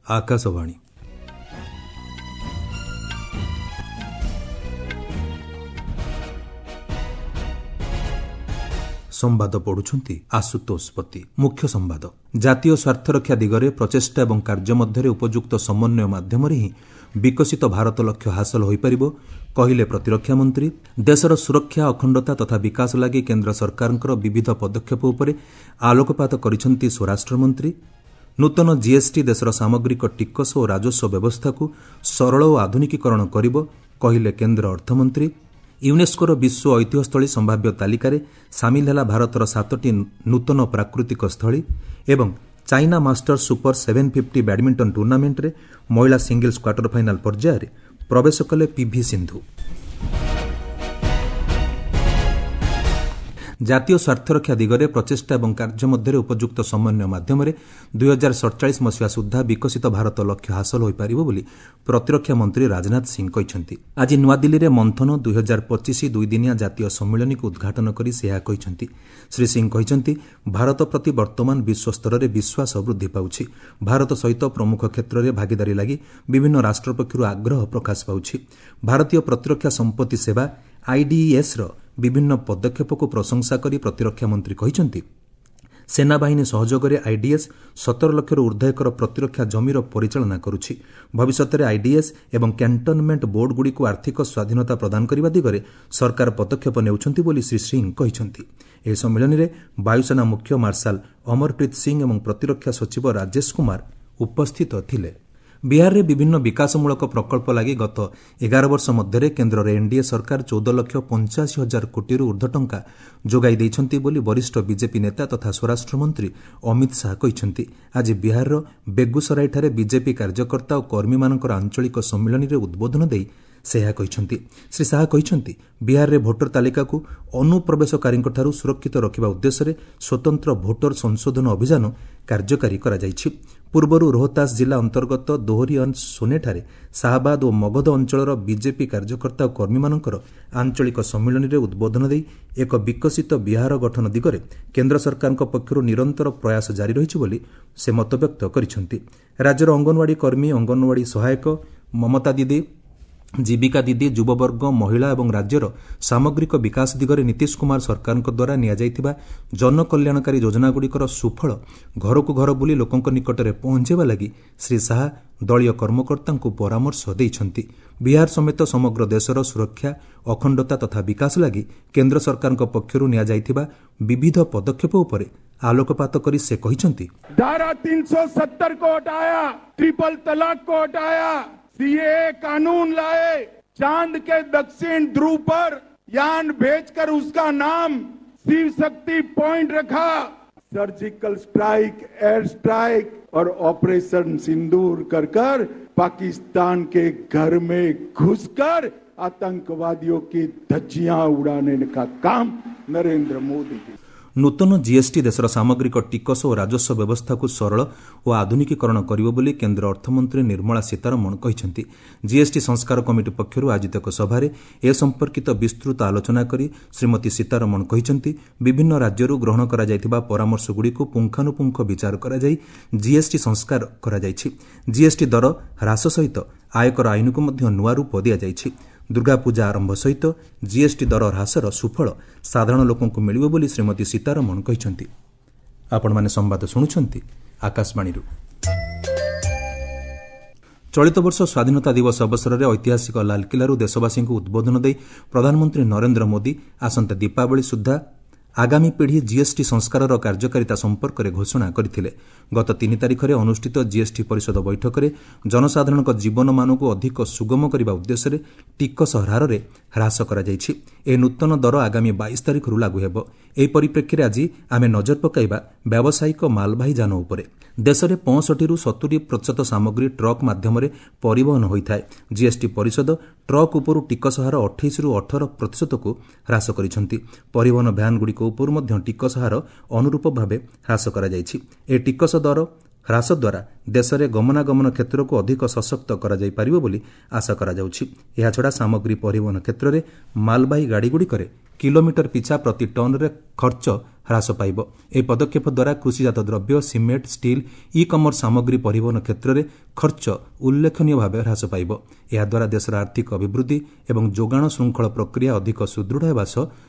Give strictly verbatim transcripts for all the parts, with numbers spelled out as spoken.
ଆକାଶବାଣୀ। ସମ୍ବାଦ ପଢୁଛନ୍ତି ଆଶୁତୋଷ ପତି। ମୁଖ୍ୟ ସମ୍ବାଦ। ଜାତୀୟ ସ୍ୱାର୍ଥରକ୍ଷା ଦିଗରେ ପ୍ରଚେଷ୍ଟା ଏବଂ କାର୍ଯ୍ୟ ମଧ୍ୟରେ ଉପଯୁକ୍ତ ସମନ୍ୱୟ ମାଧ୍ୟମରେ ହିଁ ବିକଶିତ ଭାରତ ଲକ୍ଷ୍ୟ ହାସଲ ହୋଇପାରିବ, କହିଲେ ପ୍ରତିରକ୍ଷା ମନ୍ତ୍ରୀ। ଦେଶର ସୁରକ୍ଷା, ଅଖଣ୍ଡତା ତଥା ବିକାଶ ଲାଗି କେନ୍ଦ୍ର ସରକାରଙ୍କର ବିବିଧ ପଦକ୍ଷେପ ଉପରେ ଆଲୋକପାତ କରିଛନ୍ତି ସ୍ୱରାଷ୍ଟ୍ରମନ୍ତ୍ରୀ। ନୂତନ ଜିଏସ୍ଟି ଦେଶର ସାମଗ୍ରିକ ଟିକସ ଓ ରାଜସ୍ୱ ବ୍ୟବସ୍ଥାକୁ ସରଳ ଓ ଆଧୁନିକୀକରଣ କରିବ, କହିଲେ କେନ୍ଦ୍ର ଅର୍ଥମନ୍ତ୍ରୀ। ୟୁନେସ୍କୋର ବିଶ୍ୱ ଐତିହ୍ୟସ୍ଥଳୀ ସମ୍ଭାବ୍ୟ ତାଲିକାରେ ସାମିଲ ହେଲା ଭାରତର ସାତଟି ନୂତନ ପ୍ରାକୃତିକ ସ୍ଥଳୀ। ଏବଂ China Masters super seven fifty badminton ଟୁର୍ଣ୍ଣାମେଣ୍ଟରେ ମହିଳା ସିଙ୍ଗଲ୍ସ କ୍ୱାର୍ଟର ଫାଇନାଲ୍ ପର୍ଯ୍ୟାୟରେ ପ୍ରବେଶ କଲେ ପିଭି ସିନ୍ଧୁ। ଜାତୀୟ ସ୍ୱାର୍ଥରକ୍ଷା ଦିଗରେ ପ୍ରଚେଷ୍ଟା ଏବଂ କାର୍ଯ୍ୟ ମଧ୍ୟରେ ଉପଯୁକ୍ତ ସମନ୍ୱୟ ମାଧ୍ୟମରେ ଦୁଇହଜାର ସଡ଼ଚାଳିଶ ମସିହା ସୁଦ୍ଧା ବିକଶିତ ଭାରତ ଲକ୍ଷ୍ୟ ହାସଲ ହୋଇପାରିବ ବୋଲି ପ୍ରତିରକ୍ଷା ମନ୍ତ୍ରୀ ରାଜନାଥ ସିଂ କହିଛନ୍ତି। ଆଜି ନୂଆଦିଲ୍ଲୀରେ ମନ୍ଥନ ଦୁଇହଜାର ପଚିଶ ଦୁଇଦିନିଆ ଜାତୀୟ ସମ୍ମିଳନୀକୁ ଉଦ୍ଘାଟନ କରି ସେ ଏହା କହିଛନ୍ତି। ଶ୍ରୀ ସିଂ କହିଛନ୍ତି, ଭାରତ ପ୍ରତି ବର୍ତ୍ତମାନ ବିଶ୍ୱସ୍ତରରେ ବିଶ୍ୱାସ ବୃଦ୍ଧି ପାଉଛି। ଭାରତ ସହିତ ପ୍ରମୁଖ କ୍ଷେତ୍ରରେ ଭାଗିଦାରୀ ଲାଗି ବିଭିନ୍ନ ରାଷ୍ଟ୍ର ପକ୍ଷରୁ ଆଗ୍ରହ ପ୍ରକାଶ ପାଉଛି। ଭାରତୀୟ ପ୍ରତିରକ୍ଷା ସମ୍ପତ୍ତି ସେବା ଆଇଡିଇଏସ୍ର ବିଭିନ୍ନ ପଦକ୍ଷେପକୁ ପ୍ରଶଂସା କରି ପ୍ରତିରକ୍ଷା ମନ୍ତ୍ରୀ କହିଛନ୍ତି, ସେନାବାହିନୀ ସହଯୋଗରେ ଆଇଡିଏସ୍ ସତର ଲକ୍ଷରୁ ଉର୍ଦ୍ଧ୍ୱ ଏକର ପ୍ରତିରକ୍ଷା ଜମିର ପରିଚାଳନା କରୁଛି। ଭବିଷ୍ୟତରେ ଆଇଡିଏସ୍ ଏବଂ କ୍ୟାଣ୍ଟନମେଣ୍ଟ ବୋର୍ଡଗୁଡ଼ିକୁ ଆର୍ଥିକ ସ୍ୱାଧୀନତା ପ୍ରଦାନ କରିବା ଦିଗରେ ସରକାର ପଦକ୍ଷେପ ନେଉଛନ୍ତି ବୋଲି ଶ୍ରୀ ସିଂ କହିଛନ୍ତି। ଏହି ସମ୍ମିଳନୀରେ ବାୟୁସେନା ମୁଖ୍ୟ ମାର୍ଶାଲ ଅମରପ୍ରୀତ ସିଂ ଏବଂ ପ୍ରତିରକ୍ଷା ସଚିବ ରାଜେଶ କୁମାର ଉପସ୍ଥିତ ଥିଲେ। ବିହାରରେ ବିଭିନ୍ନ ବିକାଶମୂଳକ ପ୍ରକଳ୍ପ ଲାଗି ଗତ ଏଗାର ବର୍ଷ ମଧ୍ୟରେ କେନ୍ଦ୍ରର ଏନ୍ଡିଏ ସରକାର ଚଉଦ ଲକ୍ଷ ପଞ୍ଚାଅଶୀ ହଜାର କୋଟିରୁ ଉର୍ଦ୍ଧ୍ୱ ଟଙ୍କା ଯୋଗାଇ ଦେଇଛନ୍ତି ବୋଲି ବରିଷ୍ଠ ବିଜେପି ନେତା ତଥା ସ୍ୱରାଷ୍ଟ୍ରମନ୍ତ୍ରୀ ଅମିତ ଶାହା କହିଛନ୍ତି। ଆଜି ବିହାରର ବେଗୁସରାଇଠାରେ ବିଜେପି କାର୍ଯ୍ୟକର୍ତ୍ତା ଓ କର୍ମୀମାନଙ୍କର ଆଞ୍ଚଳିକ ସମ୍ମିଳନୀରେ ଉଦ୍ବୋଧନ ଦେଇ ସେ ଏହା କହିଛନ୍ତି। ଶ୍ରୀ ଶାହା କହିଛନ୍ତି, ବିହାରରେ ଭୋଟର ତାଲିକାକୁ ଅନୁପ୍ରବେଶକାରୀଙ୍କଠାରୁ ସୁରକ୍ଷିତ ରଖିବା ଉଦ୍ଦେଶ୍ୟରେ ସ୍ୱତନ୍ତ୍ର ଭୋଟର ସଂଶୋଧନ ଅଭିଯାନ କାର୍ଯ୍ୟକାରୀ କରାଯାଇଛି। ପୂର୍ବରୁ ରୋହତାସ ଜିଲ୍ଲା ଅନ୍ତର୍ଗତ ଦୋହରିଅନ୍ ସୋନେଠାରେ ଶାହାବାଦ ଓ ମଗଧ ଅଞ୍ଚଳର ବିଜେପି କାର୍ଯ୍ୟକର୍ତ୍ତା ଓ କର୍ମୀମାନଙ୍କର ଆଞ୍ଚଳିକ ସମ୍ମିଳନୀରେ ଉଦ୍ବୋଧନ ଦେଇ ଏକ ବିକଶିତ ବିହାର ଗଠନ ଦିଗରେ କେନ୍ଦ୍ର ସରକାରଙ୍କ ପକ୍ଷରୁ ନିରନ୍ତର ପ୍ରୟାସ ଜାରି ରହିଛି ବୋଲି ସେ ମତବ୍ୟକ୍ତ କରିଛନ୍ତି। ରାଜ୍ୟର ଅଙ୍ଗନୱାଡ଼ି କର୍ମୀ, ଅଙ୍ଗନୱାଡ଼ି ସହାୟକ, ମମତା ଦିଦି, ଜୀବିକା ଦିଦି, ଯୁବବର୍ଗ, ମହିଳା ଏବଂ ରାଜ୍ୟର ସାମଗ୍ରିକ ବିକାଶ ଦିଗରେ ନୀତିଶ କୁମାର ସରକାରଙ୍କ ଦ୍ୱାରା ନିଆଯାଇଥିବା ଜନକଲ୍ୟାଣକାରୀ ଯୋଜନାଗୁଡ଼ିକର ସୁଫଳ ଘରକୁ ଘର ବୁଲି ଲୋକଙ୍କ ନିକଟରେ ପହଞ୍ଚାଇବା ଲାଗି ଶ୍ରୀ ଶାହା ଦଳୀୟ କର୍ମକର୍ତ୍ତାଙ୍କୁ ପରାମର୍ଶ ଦେଇଛନ୍ତି। ବିହାର ସମେତ ସମଗ୍ର ଦେଶର ସୁରକ୍ଷା, ଅଖଣ୍ଡତା ତଥା ବିକାଶ ଲାଗି କେନ୍ଦ୍ର ସରକାରଙ୍କ ପକ୍ଷରୁ ନିଆଯାଇଥିବା ବିବିଧ ପଦକ୍ଷେପ ଉପରେ ଆଲୋକପାତ କରି ସେ କହିଛନ୍ତି, धारा तीन सौ सत्तर को हटाया, ट्रिपल तलाक को हटाया, सीएए कानून लाए, चांद के दक्षिण ध्रुव पर यान भेजकर उसका नाम शिव शक्ति पॉइंट रखा, सर्जिकल स्ट्राइक, एयर स्ट्राइक और ऑपरेशन सिंदूर कर कर पाकिस्तान के घर में घुसकर आतंकवादियों की धज्जियां उड़ाने का काम नरेंद्र मोदी जी। ନୂତନ ଜିଏସ୍ଟି ଦେଶର ସାମଗ୍ରିକ ଟିକସ ଓ ରାଜସ୍ୱ ବ୍ୟବସ୍ଥାକୁ ସରଳ ଓ ଆଧୁନିକୀକରଣ କରିବ ବୋଲି କେନ୍ଦ୍ର ଅର୍ଥମନ୍ତ୍ରୀ ନିର୍ମଳା ସୀତାରମଣ କହିଛନ୍ତି। ଜିଏସ୍ଟି ସଂସ୍କାର କମିଟି ପକ୍ଷରୁ ଆୟୋଜିତ ଏକ ସଭାରେ ଏ ସମ୍ପର୍କିତ ବିସ୍ତୃତ ଆଲୋଚନା କରି ଶ୍ରୀମତୀ ସୀତାରମଣ କହିଛନ୍ତି, ବିଭିନ୍ନ ରାଜ୍ୟରୁ ଗ୍ରହଣ କରାଯାଇଥିବା ପରାମର୍ଶଗୁଡ଼ିକୁ ପୁଙ୍ଖାନୁପୁଙ୍ଖ ବିଚାର କରାଯାଇ ଜିଏସ୍ଟି ସଂସ୍କାର କରାଯାଇଛି। ଜିଏସ୍ଟି ଦର ହ୍ରାସ ସହିତ ଆୟକର ଆଇନକୁ ମଧ୍ୟ ନୂଆ ରୂପ ଦିଆଯାଇଛି। ଦୁର୍ଗାପୂଜା ଆରମ୍ଭ ସହିତ ଜିଏସ୍ଟି ଦର ହ୍ରାସର ସୁଫଳ ସାଧାରଣ ଲୋକଙ୍କୁ ମିଳିବ ବୋଲି ଶ୍ରୀମତୀ ସୀତାରମଣ କହିଛନ୍ତି। ଆପଣମାନେ ସମ୍ବାଦ ଶୁଣୁଛନ୍ତି ଆକାଶବାଣୀରୁ। ଚଳିତ ବର୍ଷ ସ୍ୱାଧୀନତା ଦିବସ ଅବସରରେ ଐତିହାସିକ ଲାଲକିଲ୍ଲାରୁ ଦେଶବାସୀଙ୍କୁ ଉଦ୍ବୋଧନ ଦେଇ ପ୍ରଧାନମନ୍ତ୍ରୀ ନରେନ୍ଦ୍ର ମୋଦି ଆସନ୍ତା ଦୀପାବଳି ସୁଦ୍ଧା ଆଗାମୀ ପିଢ଼ି ଜିଏସ୍ଟି ସଂସ୍କାରର କାର୍ଯ୍ୟକାରିତା ସମ୍ପର୍କରେ ଘୋଷଣା କରିଥିଲେ। ଗତ ତିନି ତାରିଖରେ ଅନୁଷ୍ଠିତ ଜିଏସ୍ଟି ପରିଷଦ ବୈଠକରେ ଜନସାଧାରଣଙ୍କ ଜୀବନମାନକୁ ଅଧିକ ସୁଗମ କରିବା ଉଦ୍ଦେଶ୍ୟରେ ଟିକସ ହାରରେ ହ୍ରାସ କରାଯାଇଛି। ଏହି ନୂତନ ଦର ଆଗାମୀ ବାଇଶ ତାରିଖରୁ ଲାଗୁ ହେବ। ଏହି ପରିପ୍ରେକ୍ଷୀରେ ଆଜି ଆମେ ନଜର ପକାଇବା ବ୍ୟାବସାୟିକ ମାଲବାହୀ ଯାନ ଉପରେ। ଦେଶରେ ପଞ୍ଚଷଠିରୁ ସତୁରି ପ୍ରତିଶତ ସାମଗ୍ରୀ ଟ୍ରକ୍ ମାଧ୍ୟମରେ ପରିବହନ ହୋଇଥାଏ। ଜିଏସ୍ଟି ପରିଷଦ ଟ୍ରକ୍ ଉପରୁ ଟିକସ ହାର ଅଠେଇଶରୁ ଅଠର ପ୍ରତିଶତକୁ ହ୍ରାସ କରିଛନ୍ତି। ପରିବହନ ଭ୍ୟାନ୍ଗୁଡ଼ିକ ଉପରୁ ମଧ୍ୟ ଟିକସ ହାର ଅନୁରୂପ ଭାବେ ହ୍ରାସ କରାଯାଇଛି। ଏହି ଟିକସ ଦର ହ୍ରାସ ଦ୍ୱାରା ଦେଶରେ ଗମନାଗମନ କ୍ଷେତ୍ରକୁ ଅଧିକ ସଶକ୍ତ କରାଯାଇପାରିବ ବୋଲି ଆଶା କରାଯାଉଛି। ଏହାଛଡ଼ା ସାମଗ୍ରୀ ପରିବହନ କ୍ଷେତ୍ରରେ ମାଲବାହୀ ଗାଡ଼ିଗୁଡ଼ିକରେ କିଲୋମିଟର ପିଛା ପ୍ରତି ଟନ୍ରେ ଖର୍ଚ୍ଚ ହ୍ରାସ ପାଇବ। ଏହି ପଦକ୍ଷେପ ଦ୍ୱାରା କୃଷିଜାତ ଦ୍ରବ୍ୟ, ସିମେଣ୍ଟ, ଷ୍ଟିଲ୍, ଇ କମର୍ସ ସାମଗ୍ରୀ ପରିବହନ କ୍ଷେତ୍ରରେ ଖର୍ଚ୍ଚ ଉଲ୍ଲେଖନୀୟ ଭାବେ ହ୍ରାସ ପାଇବ। ଏହାଦ୍ୱାରା ଦେଶର ଆର୍ଥିକ ଅଭିବୃଦ୍ଧି ଏବଂ ଯୋଗାଣ ଶୃଙ୍ଖଳ ପ୍ରକ୍ରିୟା ଅଧିକ ସୁଦୃଢ଼ ହେବା ସହ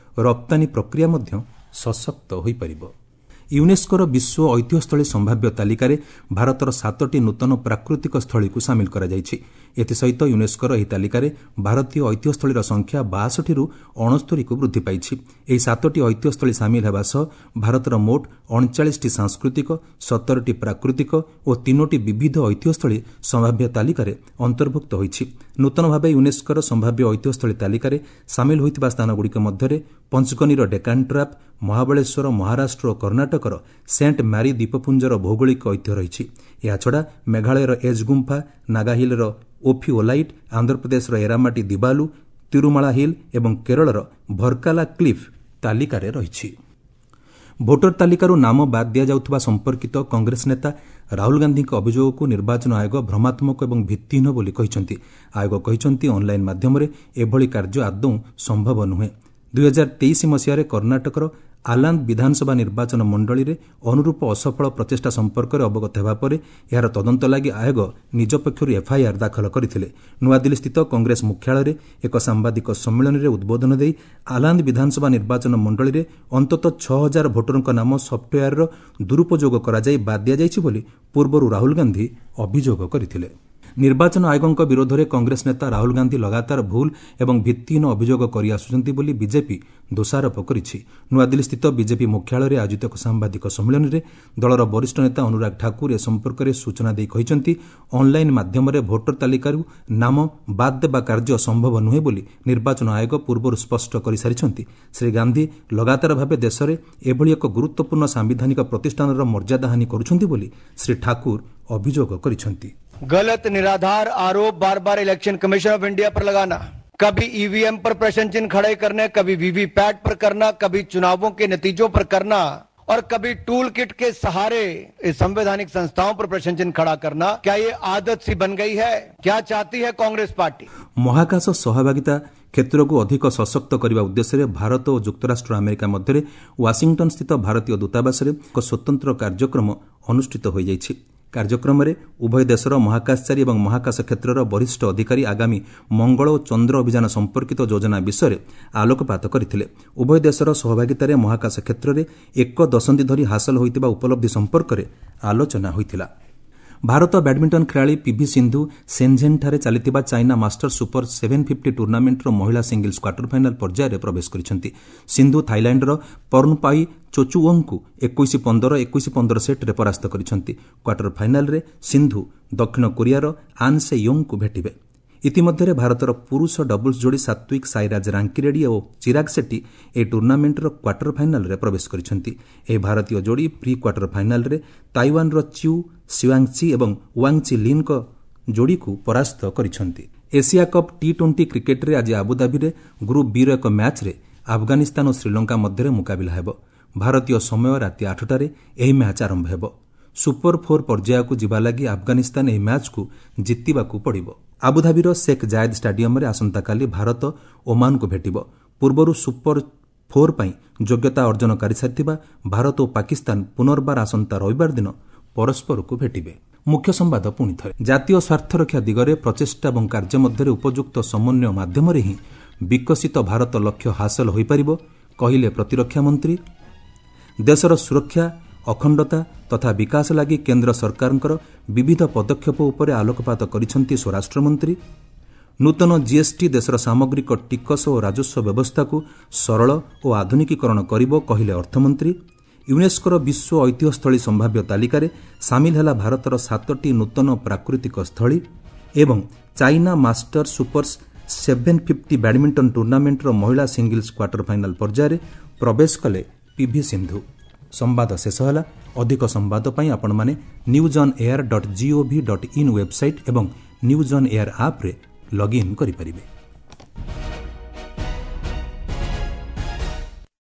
ରପ୍ତାନୀ ପ୍ରକ୍ରିୟା ମଧ୍ୟ ସଶକ୍ତ ହୋଇପାରିବ। ୟୁନେସ୍କୋର ବିଶ୍ୱ ଐତିହ୍ୟସ୍ଥଳୀ ସମ୍ଭାବ୍ୟ ତାଲିକାରେ ଭାରତର ସାତଟି ନୂତନ ପ୍ରାକୃତିକ ସ୍ଥଳୀକୁ ସାମିଲ କରାଯାଇଛି। ଏଥିସହିତ ୟୁନେସ୍କୋର ଏହି ତାଲିକାରେ ଭାରତୀୟ ଐତିହ୍ୟସ୍ଥଳୀର ସଂଖ୍ୟା ବାଷଠିରୁ ଅଣସ୍ତରୀକୁ ବୃଦ୍ଧି ପାଇଛି। ଏହି ସାତଟି ଐତିହ୍ୟସ୍ଥଳୀ ସାମିଲ ହେବା ସହ ଭାରତର ମୋଟ ଅଣଚାଳିଶଟି ସାଂସ୍କୃତିକ, ସତରଟି ପ୍ରାକୃତିକ ଓ ତିନୋଟି ବିବିଧ ଐତିହ୍ୟସ୍ଥଳୀ ସମ୍ଭାବ୍ୟ ତାଲିକାରେ ଅନ୍ତର୍ଭୁକ୍ତ ହୋଇଛି। ନୂତନ ଭାବେ ୟୁନେସ୍କୋର ସମ୍ଭାବ୍ୟ ଐତିହ୍ୟସ୍ଥଳୀ ତାଲିକାରେ ସାମିଲ ହୋଇଥିବା ସ୍ଥାନଗୁଡ଼ିକ ମଧ୍ୟରେ ପଞ୍ଚଗନୀର ଡେକାନ୍ ଟ୍ରାପ୍, ମହାବଳେଶ୍ୱର, ମହାରାଷ୍ଟ୍ର ଓ କର୍ଣ୍ଣାଟକର ସେଣ୍ଟ ମ୍ୟାରି ଦ୍ୱୀପପୁଞ୍ଜର ଭୌଗୋଳିକ ଐତିହ୍ୟ ରହିଛି। ଏହାଛଡ଼ା ମେଘାଳୟର ଏଜ୍ ଗୁମ୍ଫା, ନାଗାହିଲ୍ର ଓଫିଓଲାଇଟ୍, ଆନ୍ଧ୍ରପ୍ରଦେଶର ଏରାମାଟି ଦିବାଲୁ, ତିରୁମାଳା ହିଲ୍ ଏବଂ କେରଳର ଭର୍କାଲା କ୍ଲିଫ୍ ତାଲିକାରେ ରହିଛି। ଭୋଟର ତାଲିକାରୁ ନାମ ବାଦ୍ ଦିଆଯାଉଥିବା ସମ୍ପର୍କିତ କଂଗ୍ରେସ ନେତା ରାହୁଲ ଗାନ୍ଧୀଙ୍କ ଅଭିଯୋଗକୁ ନିର୍ବାଚନ ଆୟୋଗ ଭ୍ରମାତ୍ମକ ଏବଂ ଭିତ୍ତିହୀନ ବୋଲି କହିଛନ୍ତି। ଆୟୋଗ କହିଛନ୍ତି, ଅନ୍ଲାଇନ୍ ମାଧ୍ୟମରେ ଏଭଳି କାର୍ଯ୍ୟ ଆଦୌ ସମ୍ଭବ ନୁହେଁ। ଦୁଇହଜାର ତେଇଶ ମସିହାରେ କର୍ଣ୍ଣାଟକର ଆଲାନ୍ଦ ବିଧାନସଭା ନିର୍ବାଚନ ମଣ୍ଡଳୀରେ ଅନୁରୂପ ଅସଫଳ ପ୍ରଚେଷ୍ଟା ସମ୍ପର୍କରେ ଅବଗତ ହେବା ପରେ ଏହାର ତଦନ୍ତ ଲାଗି ଆୟୋଗ ନିଜ ପକ୍ଷରୁ ଏଫ୍ଆଇଆର୍ ଦାଖଲ କରିଥିଲେ। ନୂଆଦିଲ୍ଲୀସ୍ଥିତ କଂଗ୍ରେସ ମୁଖ୍ୟାଳୟରେ ଏକ ସାମ୍ବାଦିକ ସମ୍ମିଳନୀରେ ଉଦ୍ବୋଧନ ଦେଇ ଆଲାନ୍ଦ ବିଧାନସଭା ନିର୍ବାଚନ ମଣ୍ଡଳୀରେ ଅନ୍ତତଃ ଛଅ ହଜାର ଭୋଟରଙ୍କ ନାମ ସଫ୍ଟୱେୟାରର ଦୁରୁପଯୋଗ କରାଯାଇ ବାଦ୍ ଦିଆଯାଇଛି ବୋଲି ପୂର୍ବରୁ ରାହୁଲ ଗାନ୍ଧୀ ଅଭିଯୋଗ କରିଥିଲେ। ନିର୍ବାଚନ ଆୟୋଗଙ୍କ ବିରୋଧରେ କଂଗ୍ରେସ ନେତା ରାହୁଲ ଗାନ୍ଧୀ ଲଗାତାର ଭୁଲ ଏବଂ ଭିତ୍ତିହୀନ ଅଭିଯୋଗ କରିଆସୁଛନ୍ତି ବୋଲି ବିଜେପି ଦୋଷାରୋପ କରିଛି। ନୂଆଦିଲ୍ଲୀସ୍ଥିତ ବିଜେପି ମୁଖ୍ୟାଳୟରେ ଆୟୋଜିତ ଏକ ସାମ୍ବାଦିକ ସମ୍ମିଳନୀରେ ଦଳର ବରିଷ୍ଠ ନେତା ଅନୁରାଗ ଠାକୁର ଏ ସମ୍ପର୍କରେ ସୂଚନା ଦେଇ କହିଛନ୍ତି, ଅନ୍ଲାଇନ୍ ମାଧ୍ୟମରେ ଭୋଟର ତାଲିକାରୁ ନାମ ବାଦ୍ ଦେବା କାର୍ଯ୍ୟ ସମ୍ଭବ ନୁହେଁ ବୋଲି ନିର୍ବାଚନ ଆୟୋଗ ପୂର୍ବରୁ ସ୍ପଷ୍ଟ କରିସାରିଛନ୍ତି। ଶ୍ରୀ ଗାନ୍ଧୀ ଲଗାତାର ଭାବେ ଦେଶରେ ଏଭଳି ଏକ ଗୁରୁତ୍ୱପୂର୍ଣ୍ଣ ସାମ୍ବିଧାନିକ ପ୍ରତିଷ୍ଠାନର ମର୍ଯ୍ୟାଦାହାନି କରୁଛନ୍ତି ବୋଲି ଶ୍ରୀ ଠାକୁର ଅଭିଯୋଗ କରିଛନ୍ତି। गलत निराधार आरोप बार बार इलेक्शन कमीशन ऑफ इंडिया पर लगाना, कभी ईवीएम पर प्रश्न चिन्ह खड़े करने, कभी वीवीपैट पर करना, कभी चुनावों के नतीजों पर करना और कभी टूल किट के सहारे संवैधानिक संस्थाओं पर प्रश्न चिन्ह खड़ा करना, क्या ये आदत सी बन गई है? क्या चाहती है कांग्रेस पार्टी? ମହାକାଶ ସହଭାଗିତା କ୍ଷେତ୍ରକୁ ଅଧିକ ସଶକ୍ତ କରିବା ଉଦ୍ଦେଶ୍ୟରେ ଭାରତ ଓ ଯୁକ୍ତରାଷ୍ଟ୍ର ଆମେରିକା ମଧ୍ୟରେ ୱାଶିଂଟନ୍ସ୍ଥିତ ଭାରତୀୟ ଦୂତାବାସରେ ଏକ ସ୍ୱତନ୍ତ୍ର କାର୍ଯ୍ୟକ୍ରମ ଅନୁଷ୍ଠିତ ହୋଇଯାଇଛି। କାର୍ଯ୍ୟକ୍ରମରେ ଉଭୟ ଦେଶର ମହାକାଶଚାରୀ ଏବଂ ମହାକାଶ କ୍ଷେତ୍ରର ବରିଷ୍ଠ ଅଧିକାରୀ ଆଗାମୀ ମଙ୍ଗଳ ଓ ଚନ୍ଦ୍ର ଅଭିଯାନ ସମ୍ପର୍କିତ ଯୋଜନା ବିଷୟରେ ଆଲୋକପାତ କରିଥିଲେ। ଉଭୟ ଦେଶର ସହଭାଗିତାରେ ମହାକାଶ କ୍ଷେତ୍ରରେ ଏକ ଦଶନ୍ଧି ଧରି ହାସଲ ହୋଇଥିବା ଉପଲବ୍ଧି ସମ୍ପର୍କରେ ଆଲୋଚନା ହୋଇଥିଲା। ଭାରତ ବ୍ୟାଡ୍ମିଣ୍ଟନ ଖେଳାଳି ପିଭି ସିନ୍ଧୁ ସେନ୍ଝେନ୍ଠାରେ ଚାଲିଥିବା China Masters super seven fifty ଟୁର୍ଣ୍ଣାମେଣ୍ଟର ମହିଳା ସିଙ୍ଗଲ୍ସ କ୍ୱାର୍ଟର ଫାଇନାଲ ପର୍ଯ୍ୟାୟରେ ପ୍ରବେଶ କରିଛନ୍ତି। ସିନ୍ଧୁ ଥାଇଲାଣ୍ଡର ପର୍ଣ୍ଣପାଇ ଚୋଚୁଓଙ୍କୁ ଏକୋଇଶ ପନ୍ଦର, ଏକୋଇଶ ପନ୍ଦର ସେଟ୍ରେ ପରାସ୍ତ କରିଛନ୍ତି। କ୍ୱାର୍ଟର ଫାଇନାଲରେ ସିନ୍ଧୁ ଦକ୍ଷିଣ କୋରିଆର ଆନ୍ ସେ ୟୋଙ୍ଗଙ୍କୁ ଭେଟିବେ। ଇତିମଧ୍ୟରେ ଭାରତର ପୁରୁଷ ଡବଲ୍ସ ଯୋଡ଼ି ସାତ୍ୱିକ ସାଇରାଜ ରାଙ୍କିରେଡ୍ଡି ଓ ଚିରାଗ ସେଟ୍ଟି ଏହି ଟୁର୍ଣ୍ଣାମେଣ୍ଟର କ୍ୱାର୍ଟର ଫାଇନାଲରେ ପ୍ରବେଶ କରିଛନ୍ତି। ଏହି ଭାରତୀୟ ଯୋଡ଼ି ପ୍ରି କ୍ୱାର୍ଟର ଫାଇନାଲରେ ତାଇୱାନର ଚିଉ ସିୱାଙ୍ଗଚି ଏବଂ ୱାଙ୍ଗଚି ଲିନ୍ଙ୍କ ଯୋଡ଼ିକୁ ପରାସ୍ତ କରିଛନ୍ତି। ଏସିଆ କପ୍ ଟି ଟ୍ୱେଣ୍ଟି କ୍ରିକେଟ୍ରେ ଆଜି ଆବୁଧାବିରେ ଗ୍ରୁପ୍ ବିର ଏକ ମ୍ୟାଚ୍ରେ ଆଫଗାନିସ୍ତାନ ଓ ଶ୍ରୀଲଙ୍କା ମଧ୍ୟରେ ମୁକାବିଲା ହେବ। ଭାରତୀୟ ସମୟ ରାତି ଆଠଟାରେ ଏହି ମ୍ୟାଚ୍ ଆରମ୍ଭ ହେବ। ସୁପର ଫୋର୍ ପର୍ଯ୍ୟାୟକୁ ଯିବା ଲାଗି ଆଫଗାନିସ୍ତାନ ଏହି ମ୍ୟାଚ୍କୁ ଜିତିବାକୁ ପଡ଼ିବ। ଆବୁଧାବିର ଶେଖ୍ ଜାୟେଦ୍ ଷ୍ଟାଡିୟମରେ ଆସନ୍ତାକାଲି ଭାରତ ଓମାନକୁ ଭେଟିବ। ପୂର୍ବରୁ ସୁପର ଫୋର୍ ପାଇଁ ଯୋଗ୍ୟତା ଅର୍ଜନ କରିସାରିଥିବା ଭାରତ ଓ ପାକିସ୍ତାନ ପୁନର୍ବାର ଆସନ୍ତା ରବିବାର ଦିନ ପରସ୍ପରକୁ ଭେଟିବେ। ମୁଖ୍ୟ ସମ୍ବାଦ ପୁଣି ଥରେ, ଜାତୀୟ ସ୍ୱାର୍ଥରକ୍ଷା ଦିଗରେ ପ୍ରଚେଷ୍ଟା ଏବଂ କାର୍ଯ୍ୟ ମଧ୍ୟରେ ଉପଯୁକ୍ତ ସମନ୍ୱୟ ମାଧ୍ୟମରେ ହିଁ ବିକଶିତ ଭାରତ ଲକ୍ଷ୍ୟ ହାସଲ ହୋଇପାରିବ, କହିଲେ ପ୍ରତିରକ୍ଷା ମନ୍ତ୍ରୀ। ଦେଶର ସୁରକ୍ଷା, ଅଖଣ୍ଡତା ତଥା ବିକାଶ ଲାଗି କେନ୍ଦ୍ର ସରକାରଙ୍କର ବିବିଧ ପଦକ୍ଷେପ ଉପରେ ଆଲୋକପାତ କରିଛନ୍ତି ସ୍ୱରାଷ୍ଟ୍ରମନ୍ତ୍ରୀ। ନୂତନ ଜିଏସ୍ଟି ଦେଶର ସାମଗ୍ରିକ ଟିକସ ଓ ରାଜସ୍ୱ ବ୍ୟବସ୍ଥାକୁ ସରଳ ଓ ଆଧୁନିକୀକରଣ କରିବ, କହିଲେ ଅର୍ଥମନ୍ତ୍ରୀ। ୟୁନେସ୍କୋର ବିଶ୍ୱ ଐତିହ୍ୟସ୍ଥଳୀ ସମ୍ଭାବ୍ୟ ତାଲିକାରେ ସାମିଲ ହେଲା ଭାରତର ସାତଟି ନୂତନ ପ୍ରାକୃତିକ ସ୍ଥଳୀ ଏବଂ China Master super seven fifty badminton ଟୁର୍ଣ୍ଣାମେଣ୍ଟର ମହିଳା ସିଙ୍ଗଲ୍ସ କ୍ୱାର୍ଟର ଫାଇନାଲ ପର୍ଯ୍ୟାୟରେ ପ୍ରବେଶ କଲେ ପିଭି ସିନ୍ଧୁ। ସମ୍ବାଦ ଶେଷ ହେଲା। ଅଧିକ ସମ୍ବାଦ ପାଇଁ ଆପଣମାନେ news on air dot gov dot in website ଏବଂ ନ୍ୟୁଜ୍ ଅନ୍ ଏୟାର ଆପ୍ରେ ଲଗ୍ଇନ୍ କରିପାରିବେ।